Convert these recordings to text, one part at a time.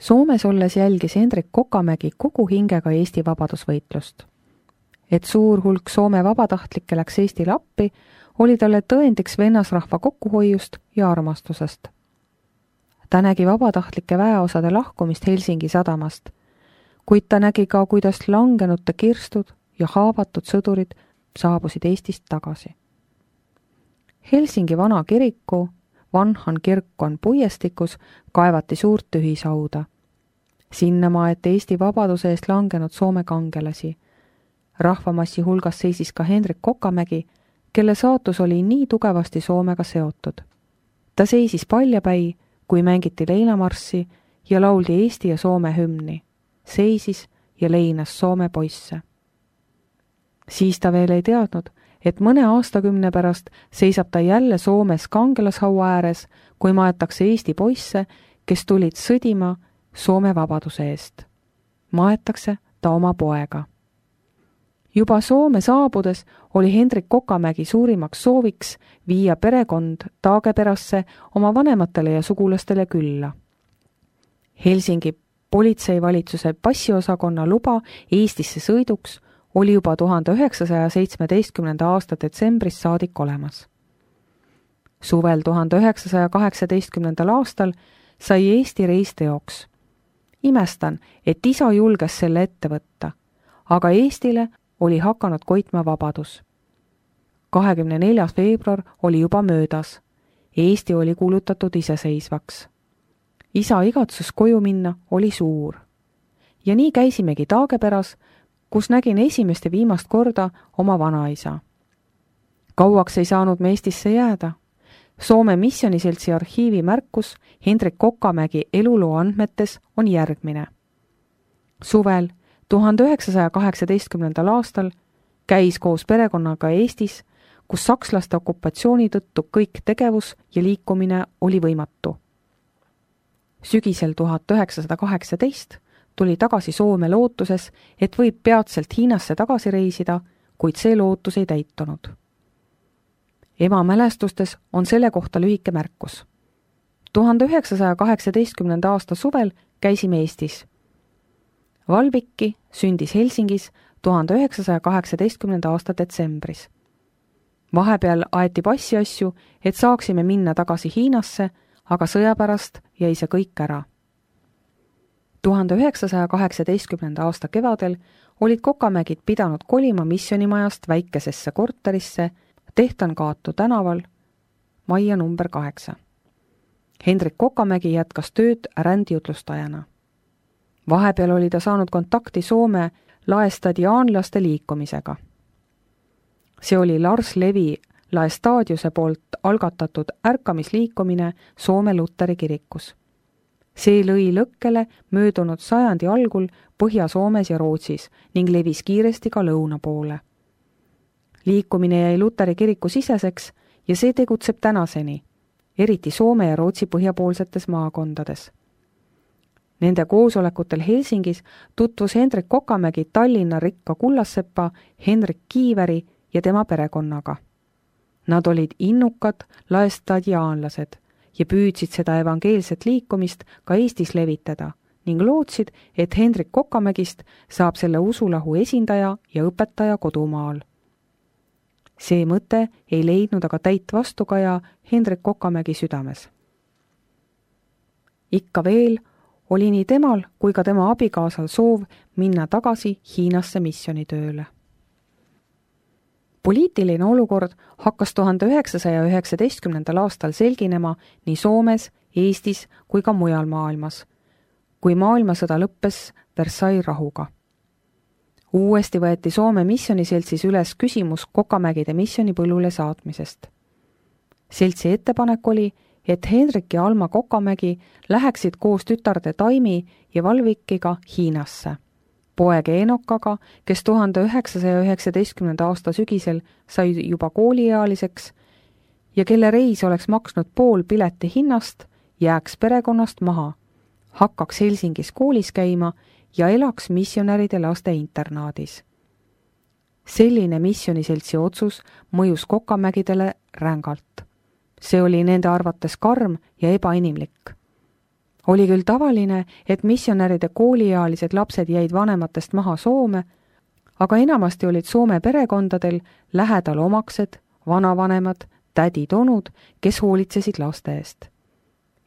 Soomes olles jälgis Hendrik Kokamägi kogu hingega Eesti vabadusvõitlust. Et suur hulk Soome vabatahtlikke läks Eestile appi, oli talle tõendiks vennasrahva kokkuhoiust ja armastusest. Ta nägi vabatahtlike väeosade lahkumist Helsingi sadamast, kuid ta nägi ka, kuidas langenute kirstud ja haavatud sõdurid saabusid Eestist tagasi. Helsingi vana kiriku, Vanhan kirkon puiestikus kaevati suurt tühisauda. Sinna maeti Eesti vabaduse eest langenud Soome kangelasi. Rahvamassi hulgas seisis ka Hendrik Kokamägi, kelle saatus oli nii tugevasti Soomega seotud. Ta seisis paljapäi, kui mängiti leinamarssi ja lauldi Eesti ja Soome hümni. Seisis ja leinas Soome poisse. Siis ta veel ei teadnud, et mõne aastakümne pärast seisab ta jälle Soomes kangelashaua ääres, kui maetakse Eesti poisse, kes tulid sõdima Soome vabaduse eest. Maetakse ta oma poega. Juba Soome saabudes oli Hendrik Kokamägi suurimaks sooviks viia perekond Taageperasse oma vanematele ja sugulastele külla. Helsingi politseivalitsuse passiosakonna luba Eestisse sõiduks oli juba 1917. aasta detsembris saadik olemas. Suvel 1918. aastal sai Eesti reis teoks. Imestan, et isa julges selle ette võtta, aga Eestile oli hakanud koitma vabadus. 24. veebruar oli juba möödas. Eesti oli kuulutatud iseseisvaks. Isa igatsus koju minna oli suur. Ja nii käisimegi Taageperas, kus nägin esimest ja viimast korda oma vanaisa. Kauaks ei saanud me Eestisse jääda. Soome Missioniseltsi arhiivi märkus Hendrik Kokamägi eluloo andmetes on järgmine. Suvel 1918. aastal käis koos perekonnaga Eestis, kus sakslaste okupatsiooni tõttu kõik tegevus ja liikumine oli võimatu. Sügisel 1918 tuli tagasi Soome lootuses, et võib peatselt Hiinasse tagasi reisida, kuid see lootus ei täitunud. Ema mälestustes on selle kohta lühike märkus. 1918. aasta suvel käisime Eestis. Valvikki sündis Helsingis 1918. aasta detsembris. Vahepeal aeti passiasju, et saaksime minna tagasi Hiinasse, aga sõja pärast jäi see kõik ära. 1918. aasta kevadel olid Kokamägid pidanud kolima missionimajast väikesesse korterisse Tehtankaatu tänaval, majja number 8. Hendrik Kokamägi jätkas tööd rändjutlustajana. Vahepeal oli ta saanud kontakti Soome laestadiaanlaste liikumisega. See oli Lars Levi Laestadiuse poolt algatatud ärkamisliikumine Soome Luteri kirikus. See lõi lõkkele möödunud sajandi algul Põhja-Soomes ja Rootsis ning levis kiiresti ka lõuna poole. Liikumine jäi Luteri kiriku siseseks ja see tegutseb tänaseni, eriti Soome ja Rootsi põhjapoolsetes maakondades. Nende koosolekutel Helsingis tutvus Hendrik Kokamägi Tallinna rikka kullassepa Henrik Kiiveri ja tema perekonnaga. Nad olid innukad laestadiaanlased ja püüdsid seda evangeelset liikumist ka Eestis levitada ning lootsid, et Hendrik Kokamägist saab selle usulahu esindaja ja õpetaja kodumaal. See mõte ei leidnud aga täit vastukaja Hendrik Kokamägi südames. Ikka veel oli nii temal kui ka tema abikaasal soov minna tagasi Hiinasse missionitööle. Poliitiline olukord hakkas 1919. aastal selginema nii Soomes, Eestis kui ka mujal maailmas, kui maailmasõda lõppes Versailles rahuga. Uuesti võeti Soome Missioniseltsis üles küsimus Kokamägide missionipõllule saatmisest. Seltsi ettepanek oli, et Hendrik ja Alma Kokamägi läheksid koos tütarde Taimi ja Valvikiga Hiinasse. Poeg Eenokaga, kes 1919. aasta sügisel sai juba kooliealiseks ja kelle reis oleks maksnud pool pileti hinnast, jääks perekonnast maha, hakkaks Helsingis koolis käima ja elaks missionäride laste internaadis. Selline missioniseltsi otsus mõjus Kokamägidele rängalt. See oli nende arvates karm ja ebainimlik. Oli küll tavaline, et missionäride kooliealised lapsed jäid vanematest maha Soome, aga enamasti olid Soome perekondadel lähedal omaksed, vanavanemad, tädid-onud, kes hoolitsesid laste eest.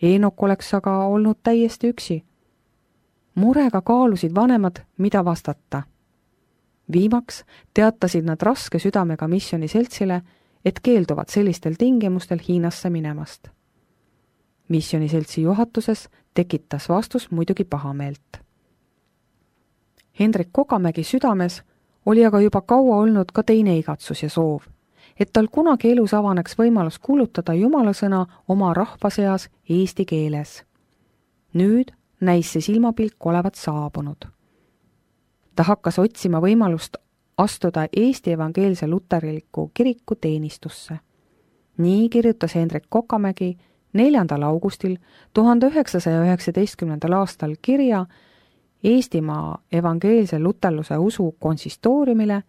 Eenok oleks aga olnud täiesti üksi. Murega kaalusid vanemad, mida vastata. Viimaks teatasid nad raske südamega missioniseltsile, et keelduvad sellistel tingimustel Hiinasse minemast. Missioniseltsi juhatuses tekitas vastus muidugi pahameelt. Hendrik Kokamägi südames oli aga juba kaua olnud ka teine igatsus ja soov, et tal kunagi elus avaneks võimalus kuulutada Jumala sõna oma rahva seas eesti keeles. Nüüd näis see silmapilk olevat saabunud. Ta hakkas otsima võimalust astuda Eesti evangeelse luterliku kiriku teenistusse. Nii kirjutas Hendrik Kokamägi 4. augustil 1919. aastal kirja Eestimaa evangeelse luterluse usu konsistooriumile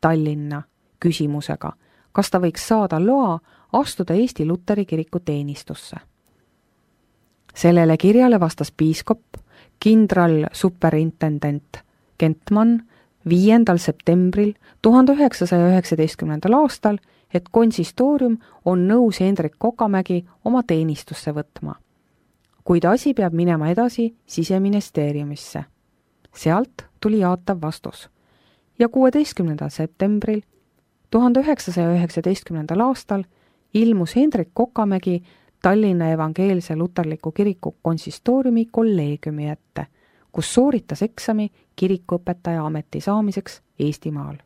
Tallinna küsimusega, kas ta võiks saada loa astuda Eesti Luteri kiriku teenistusse. Sellele kirjale vastas piiskop, kindral superintendent Kentman 5. septembril 1919. aastal, et konsistoorium on nõus Hendrik Kokamägi oma teenistusse võtma. Kuid asi peab minema edasi Siseministeeriumisse. Sealt tuli jaatav vastus. Ja 16. septembril 1919. aastal ilmus Hendrik Kokamägi Tallinna evangeelse luterliku kiriku konsistooriumi kolleegiumi ette, kus sooritas eksami kirikuõpetaja ameti saamiseks Eestimaal.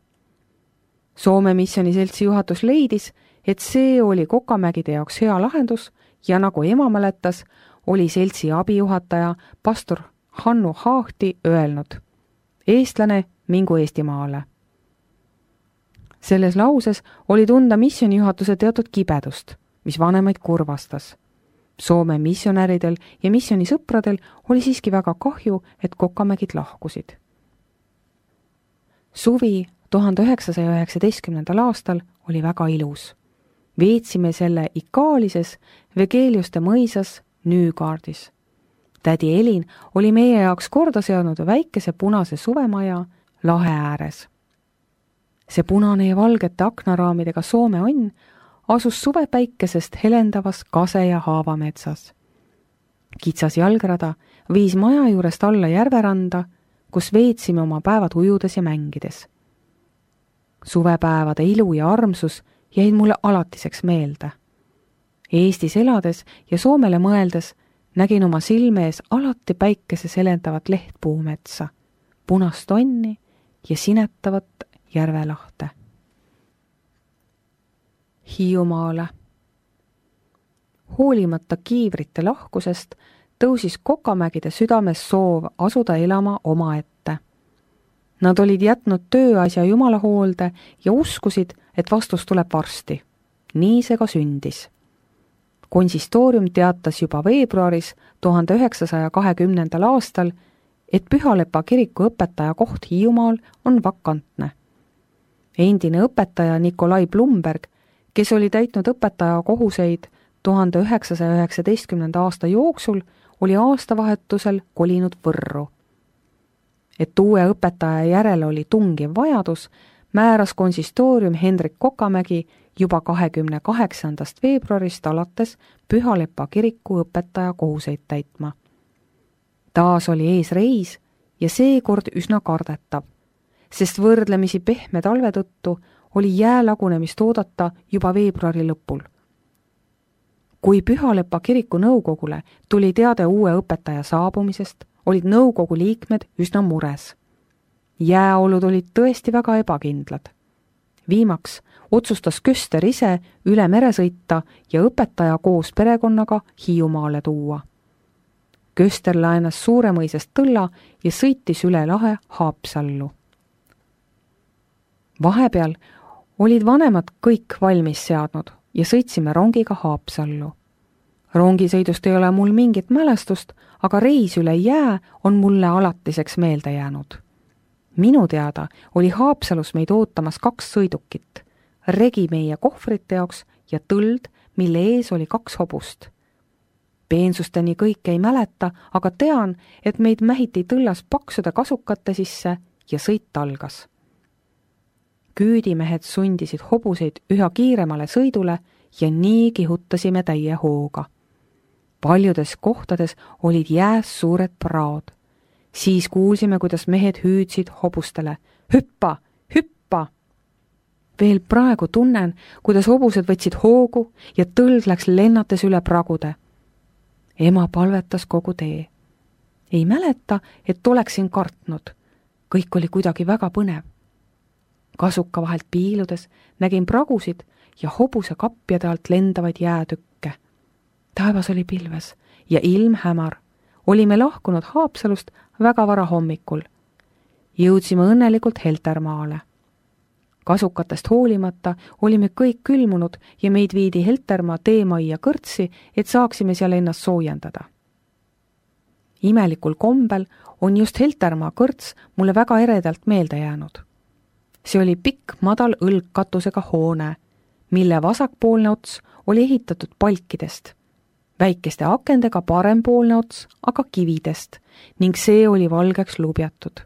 Soome missioniseltsi juhatus leidis, et see oli Kokamägide jaoks hea lahendus ja nagu ema mäletas, oli seltsi abijuhataja pastor Hannu Haahti öelnud: eestlane, mingu Eestimaale. Selles lauses oli tunda missionijuhatuse teatud kibedust, mis vanemaid kurvastas. Soome missionäridel ja missionisõpradel oli siiski väga kahju, et Kokamägid lahkusid. Suvi 1919. aastal oli väga ilus. Veetsime selle Ikaalises Vegeliuste mõisas Nüügaardis. Tädi Elin oli meie jaoks korda seadnud väikese punase suvemaja lahe ääres. See punane ja valgete aknaraamidega Soome onn asus suvepäikesest helendavas kase- ja haavametsas. Kitsas jalgrada viis maja juurest alla järveranda, kus veetsime oma päevad ujudes ja mängides. Suvepäevade ilu ja armsus jäid mulle alatiseks meelde. Eestis elades ja Soomele mõeldes nägin oma silme ees alati päikeses helendavat lehtpuumetsa, punast onni ja sinetavat järvelahte. Hiiumaale. Hoolimata kiivrite lahkusest tõusis Kokamägide südames soov asuda elama omaette. Nad olid jätnud tööasja Jumala hoolde ja uskusid, et vastus tuleb varsti. Nii see ka sündis. Konsistoorium teatas juba veebruaris 1920. aastal, et Pühalepa kiriku õpetaja koht Hiiumaal on vakantne. Endine õpetaja Nikolai Blumberg, kes oli täitnud õpetaja kohuseid 1919. aasta jooksul, oli aastavahetusel kolinud Võrru. Et uue õpetaja järele oli tungiv vajadus, määras konsistoorium Hendrik Kokamägi juba 28. veebruarist alates Pühalepa kiriku õpetaja kohuseid täitma. Taas oli ees reis ja seekord üsna kardetav, sest võrdlemisi pehme talve tõttu oli jäälagunemist oodata juba veebruari lõpul. Kui Pühalepa kiriku nõukogule tuli teade uue õpetaja saabumisest, olid nõukogu liikmed üsna mures. Jääolud olid tõesti väga ebakindlad. Viimaks otsustas Köster ise üle mere sõita ja õpetaja koos perekonnaga Hiiumaale tuua. Köster laenas Suuremõisest tõlla ja sõitis üle lahe Haapsallu. Vahepeal olid vanemad kõik valmis seadnud ja sõitsime rongiga Haapsallu. Rongisõidust ei ole mul mingit mälestust, aga reis üle jää on mulle alatiseks meelde jäänud. Minu teada oli Haapsalus meid ootamas 2 sõidukit, regi meie kohvrite jaoks ja tõld, mille ees oli 2 hobust. Peensusteni kõike ei mäleta, aga tean, et meid mähiti tõllas paksude kasukate sisse ja sõit algas. Küüdimehed sundisid hobuseid üha kiiremale sõidule ja nii kihutasime täie hooga. Paljudes kohtades olid jääs suured praod. Siis kuulsime, kuidas mehed hüüdsid hobustele: hüppa, hüppa! Veel praegu tunnen, kuidas hobused võtsid hoogu ja tõld läks lennates üle pragude. Ema palvetas kogu tee. Ei mäleta, et oleksin kartnud. Kõik oli kuidagi väga põnev. Kasuka vahelt piiludes nägin pragusid ja hobuse kapjade alt lendavaid jäätükke. Taevas oli pilves ja ilm hämar. Olime lahkunud Haapsalust väga vara hommikul. Jõudsime õnnelikult Heltermaale. Kasukatest hoolimata olime kõik külmunud ja meid viidi Heltermaa teemajja kõrtsi, et saaksime seal ennast soojendada. Imelikul kombel on just Heltermaa kõrts mulle väga eredalt meelde jäänud. See oli pikk madal õlgkatusega hoone, mille vasakpoolne ots oli ehitatud palkidest, väikeste akendega parempoolne ots aga kividest ning see oli valgeks lubjatud.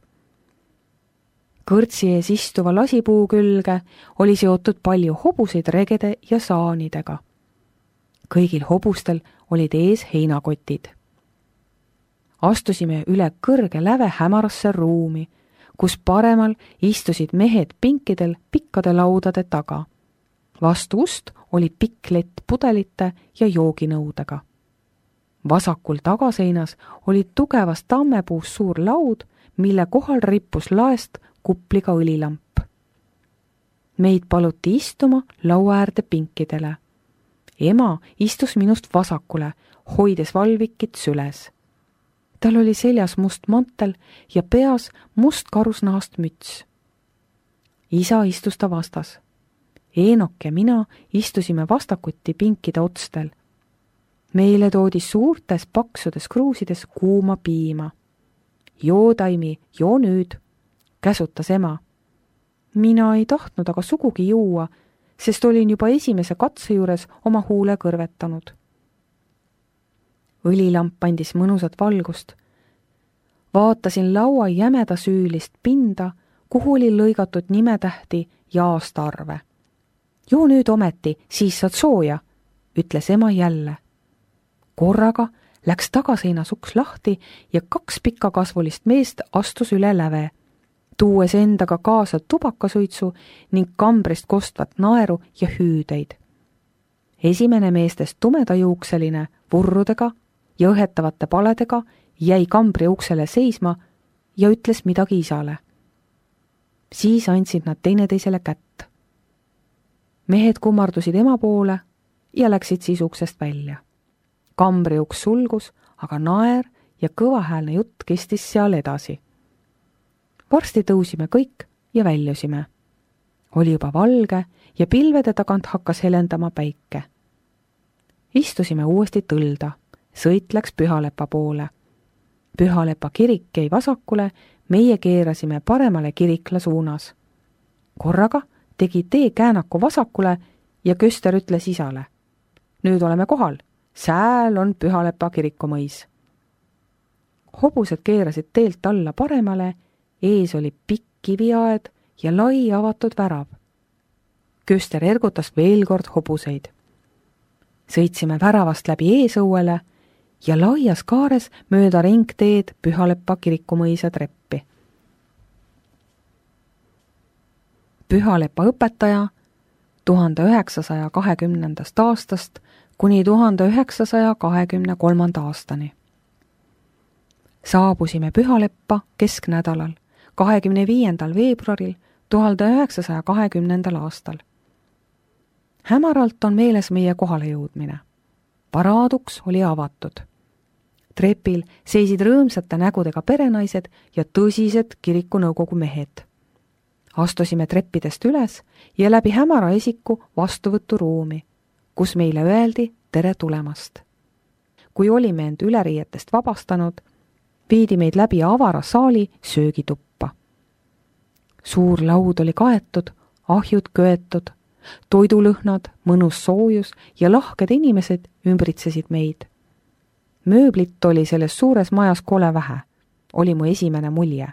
Kõrtsi ees istuva lasipuu külge oli seotud palju hobuseid regede ja saanidega. Kõigil hobustel olid ees heinakotid. Astusime üle kõrge läve hämarasse ruumi, kus paremal istusid mehed pinkidel pikkade laudade taga. Vastu ust oli pikk lett pudelite ja jooginõudega. Vasakul tagaseinas oli tugevast tammepuust suur laud, mille kohal rippus laest kupliga õlilamp. Meid paluti istuma laua äärde pinkidele. Ema istus minust vasakule, hoides valvikit süles. Tal oli seljas must mantel ja peas must karusnahast müts. Isa istus ta vastas. Eenok ja mina istusime vastakuti pinkide otstel. Meile toodi suurtes paksudes kruusides kuuma piima. Joo, Taimi, joo nüüd, käsutas ema. Mina ei tahtnud aga sugugi juua, sest olin juba esimese katse juures oma huule kõrvetanud. Õlilamp andis mõnusat valgust. Vaatasin laua jämeda süülist pinda, kuhu oli lõigatud nimetähti ja aastaarve. Joo nüüd ometi, siis saad sooja, ütles ema jälle. Korraga läks tagaseinas uks lahti ja 2 pikkakasvulist meest astus üle läve, tuues endaga kaasa tubakasuitsu ning kambrist kostvat naeru ja hüüdeid. Esimene meestest tumedajuukseline, vurrudega ja õhetavate paledega jäi kambri uksele seisma ja ütles midagi isale. Siis andsid nad teineteisele kätt. Mehed kummardusid ema poole ja läksid siis uksest välja. Kambri uks sulgus, aga naer ja kõvahäälne jutt kestis seal edasi. Varsti tõusime kõik ja väljusime. Oli juba valge ja pilvede tagant hakkas helendama päike. Istusime uuesti tõlda, sõit läks Pühalepa poole. Pühalepa kirik jäi vasakule, meie keerasime paremale kirikla suunas. Korraga tegi tee käänaku vasakule ja Köster ütles isale. Nüüd oleme kohal, sääl on Pühalepa kirikumõis. Hobused keerasid teelt alla paremale, ees oli pikk kiviaed ja lai avatud värav. Köster ergutas veel kord hobuseid. Sõitsime väravast läbi eesõuele ja laias kaares mööda ringteed Pühalepa kirikumõisa treppi. Pühalepa õpetaja 1920. aastast kuni 1923. aastani. Saabusime Pühaleppa kesknädalal 25. veebruaril 1920. aastal. Hämaralt on meeles meie kohale jõudmine. Paraaduks oli avatud. Trepil seisid rõõmsate nägudega perenaised ja tõsised kirikunõukogu mehed. Astusime treppidest üles ja läbi hämara esiku vastuvõturuumi, kus meile öeldi tere tulemast. Kui olime end üleriietest vabastanud, viidi meid läbi avara saali söögituppa. Suur laud oli kaetud, ahjud köetud, toidulõhnad, mõnus soojus ja lahked inimesed ümbritsesid meid. Mööblit oli selles suures majas kole vähe, oli mu esimene mulje.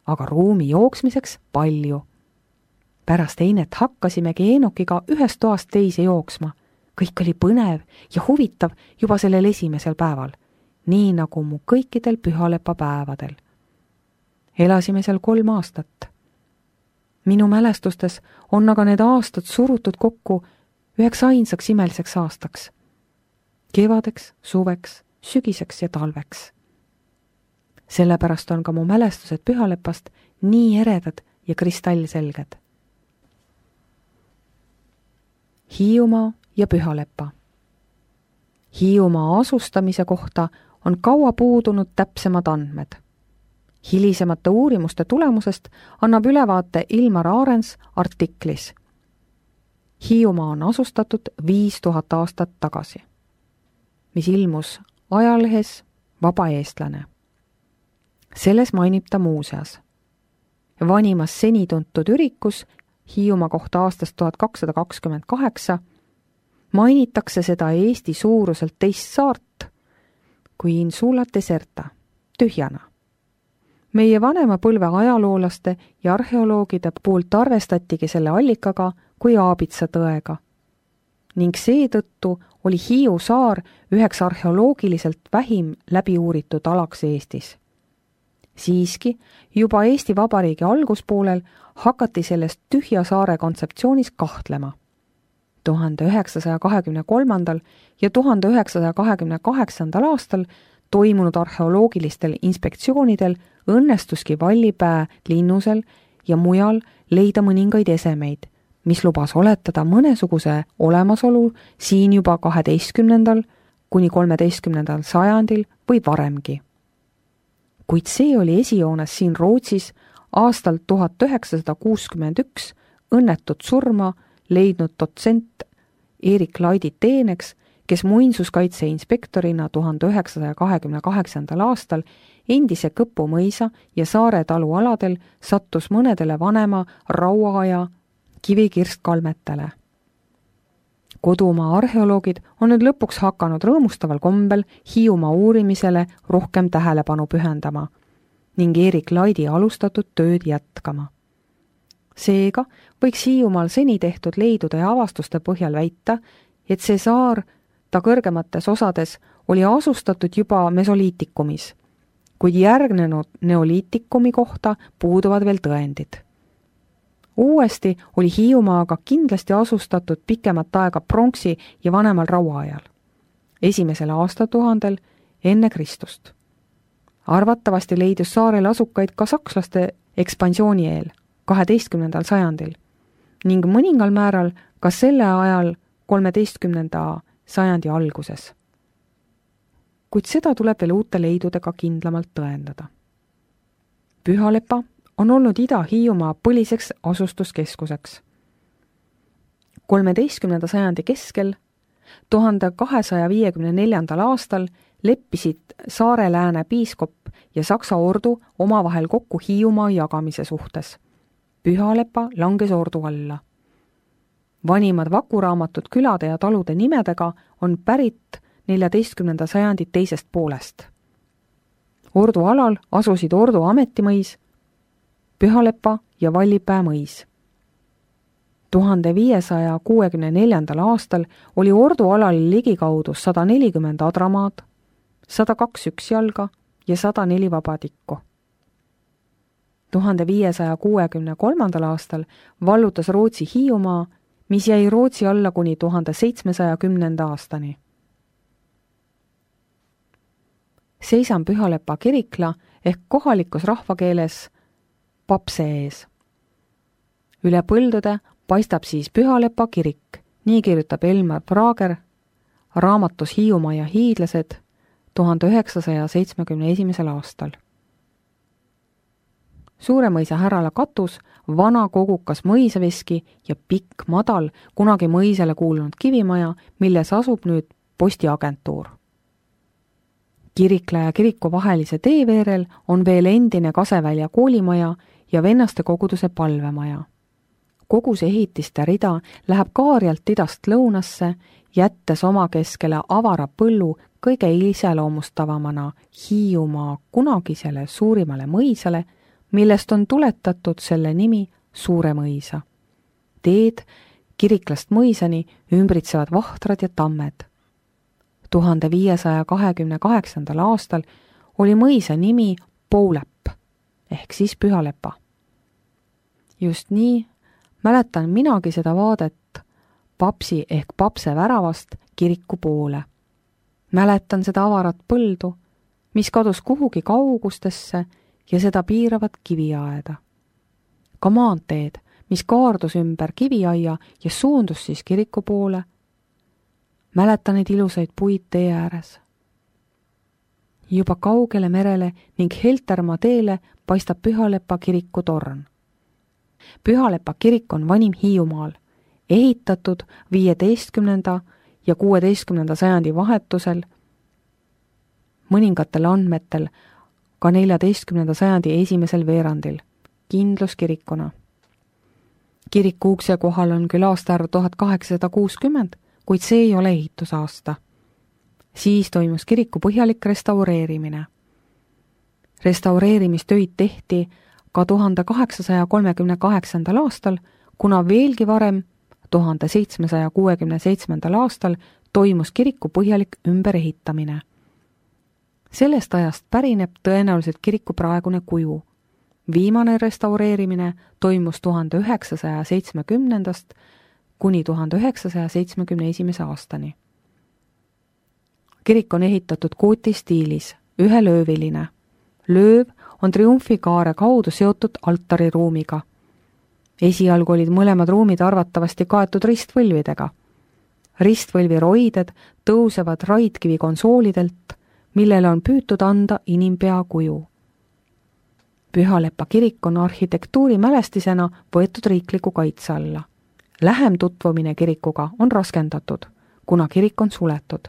Aga ruumi jooksmiseks palju. Pärast einet hakkasimegi Eenokiga ühest toast teise jooksma. Kõik oli põnev ja huvitav juba sellel esimesel päeval, nii nagu mu kõikidel pühalepa päevadel. Elasime seal 3 aastat. Minu mälestustes on aga need aastad surutud kokku üheks ainsaks imeliseks aastaks. Kevadeks, suveks, sügiseks ja talveks. Sellepärast on ka mu mälestused pühalepast nii eredad ja kristallselged. Hiiumaa ja Pühalepa. Hiiumaa asustamise kohta on kaua puudunud täpsemad andmed. Hilisemate uurimuste tulemusest annab ülevaate Ilmar Aarens artiklis. Hiiumaa on asustatud 5000 aastat tagasi, mis ilmus ajalehes Vaba eestlane. Selles mainib ta muuseas. Vanimas seni tuntud ürikus Hiiumaa kohta aastast 1228 mainitakse seda Eesti suuruselt teist saart kui insula deserta, tühjana. Meie vanema põlve ajaloolaste ja arheoloogide poolt arvestatigi selle allikaga kui Aabitsa tõega. Ning seetõttu oli Hiiu saar üheks arheoloogiliselt vähim läbi uuritud alaks Eestis. Siiski, juba Eesti Vabariigi alguspoolel hakati sellest tühja saare kontseptsioonis kahtlema. 1923. ja 1928. aastal toimunud arheoloogilistel inspektsioonidel õnnestuski Vallipää linnusel ja mujal leida mõningaid esemeid, mis lubas oletada mõnesuguse olemasolu siin juba 12. kuni 13. sajandil või varemgi. Kuid see oli esijoones siin Rootsis aastal 1961 õnnetut surma leidnud dotsent Erik Laidi teeneks, kes muinsuskaitse inspektorina 1928. aastal endise Kõpu mõisa ja Saare talu aladel sattus mõnedele vanema rauaaja kivikirstkalmetele. Kodumaa arheoloogid on nüüd lõpuks hakanud rõõmustaval kombel Hiiumaa uurimisele rohkem tähelepanu pühendama ning Erik Laidi alustatud tööd jätkama. Seega võiks Hiiumaal seni tehtud leidude ja avastuste põhjal väita, et see saar ta kõrgemates osades oli asustatud juba mesoliitikumis, kuid järgnenud neoliitikumi kohta puuduvad veel tõendid. Uuesti oli Hiiumaaga kindlasti asustatud pikemat aega pronksi ja vanemal rauaajal, 1. aastatuhandel enne Kristust. Arvatavasti leidus saarel asukaid ka sakslaste ekspansiooni eel, 12. sajandil, ning mõningal määral ka selle ajal 13. sajandi alguses. Kuid seda tuleb veel uute leidudega kindlamalt tõendada. Pühalepa on olnud Ida-Hiiumaa põliseks asustuskeskuseks. 13. sajandi keskel, 1254. aastal leppisid Saare-Lääne piiskop ja Saksa ordu omavahel kokku Hiiumaa jagamise suhtes. Pühalepa langes ordu alla. Vanimad vakuraamatud külade ja talude nimedega on pärit 14. sajandi teisest poolest. Ordu alal asusid Ordu ametimõis, Pühalepa ja Vallipää mõis. 1564. aastal oli Ordu alal ligikaudu 140 adramaad, 102 üksjalga ja 104 vabatikku. 1563. aastal vallutas Rootsi Hiiumaa, mis jäi Rootsi alla kuni 1710. aastani. Seisan Pühalepa kirikla ehk kohalikus rahvakeeles Papse ees. Üle põldude paistab siis Pühalepa kirik, nii kirjutab Elmar Prager raamatus Hiiumaa ja hiidlased 1971. aastal. Suuremõisa Härala katus, vana kogukas mõisaveski ja pikk, madal, kunagi mõisale kuulunud kivimaja, milles asub nüüd postiagentuur. Kirikla ja kiriku vahelise tee veerel on veel endine Kasevälja koolimaja ja vennaste koguduse palvemaja. Koguse ehitiste rida läheb Kaarjalt idast lõunasse, jättes oma keskele avara põllu kõige iseloomustavamana Hiiumaa kunagisele suurimale mõisale, millest on tuletatud selle nimi Suure mõisa. Teed Kiriklast mõisani ümbritsevad vahtrad ja tammed. 1528. aastal oli mõisa nimi Poulepp ehk siis Pühalepa. Just nii mäletan minagi seda vaadet Papsi ehk Papse väravast kiriku poole. Mäletan seda avarat põldu, mis kadus kuhugi kaugustesse ja seda piiravat kiviaeda. Ka maanteed, mis kaardus ümber kiviaia ja suundus siis kiriku poole. Mäletan neid ilusaid puid tee ääres. Juba kaugele merele ning Heltermaa teele paistab Pühalepa kiriku torn. Pühalepa kirik on vanim Hiiumaal, ehitatud 15. ja 16. sajandi vahetusel, mõningatel andmetel ka 14. sajandi esimesel veerandil, kindluskirikuna. Kiriku ukse kohal on küll aastaarv 1860, kuid see ei ole ehitusaasta. Siis toimus kiriku põhjalik restaureerimine. Restaureerimistöid tehti ka 1838. aastal, kuna veelgi varem, 1767. aastal toimus kiriku põhjalik ümberehitamine. Sellest ajast pärineb tõenäoliselt kiriku praegune kuju. Viimane restaureerimine toimus 1970. kuni 1971. aastani. Kirik on ehitatud gooti-stiilis, ühelööviline. Lööv on triumfikaare kaudu seotud altariruumiga. Esialgu olid mõlemad ruumid arvatavasti kaetud ristvõlvidega. Ristvõlvi roided tõusevad raidkivi konsoolidelt, millele on püütud anda inimpea kuju. Pühalepa kirik on arhitektuurimälestisena võetud riikliku kaitse alla. Lähem tutvumine kirikuga on raskendatud, kuna kirik on suletud.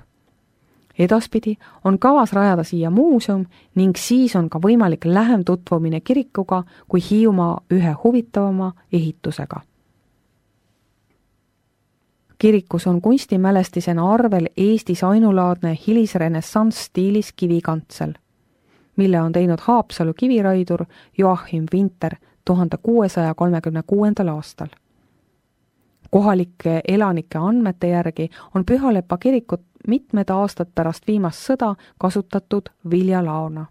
Edaspidi on kavas rajada siia muuseum ning siis on ka võimalik lähem tutvumine kirikuga kui Hiiumaa ühe huvitavama ehitusega. Kirikus on kunstimälestisena arvel Eestis ainulaadne hilisrenessants stiilis kivikantsel, mille on teinud Haapsalu kiviraidur Joachim Winter 1636. aastal. Kohalike elanike andmete järgi on Pühalepa kirikut mitmed aastad pärast viimast sõda kasutatud viljalaona.